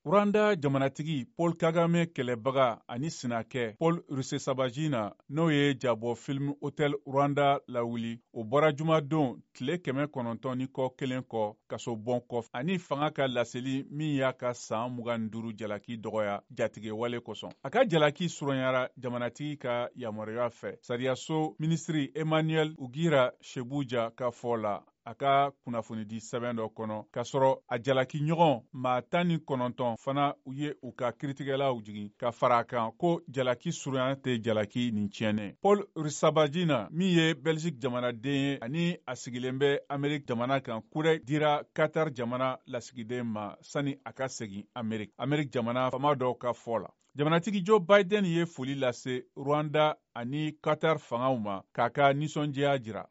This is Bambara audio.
Rwanda jamanatigi Paul Kagame kɛlɛbaga ani sinakɛ Paul Rusesabagina, n'o ye jabɔ film Hotel Rwanda lawuli, o bɔra jumadon tile 900 ni kɔ kelen kɔ kasobon kɔ, ani fanga ka laseli min y'a ka san 25 jalaki dɔgɔya jatigɛwale kosɔn. A ka jalaki surunyara jamanatigi ka yamaruya fɛ, sariyaso minisiri Emmanuel Ugira Shebuja ka fɔ la a ka kunnafonidi sɛbɛn dɔ kɔnɔ, k'a sɔrɔ a jalaki ɲɔgɔn maa 19 fana u ye u ka kiritigɛlaw jigin ka fara a kan ko jalaki surunya tɛ jalaki nin tiɲɛnen. Paul Rusesabagina, min ye Belgique jamanaden ye ani a sigilen bɛ Amerique jamana kan, kurɛ dira Qatar jamana lasigiden ma sani a ka segin Amerique, Amerique jamana faama dɔw ka fɔ la. Jamanatigi Joe Biden ye foli lase Rwanda ani Qatar fangaw ma k'a ka nisɔndiya jira.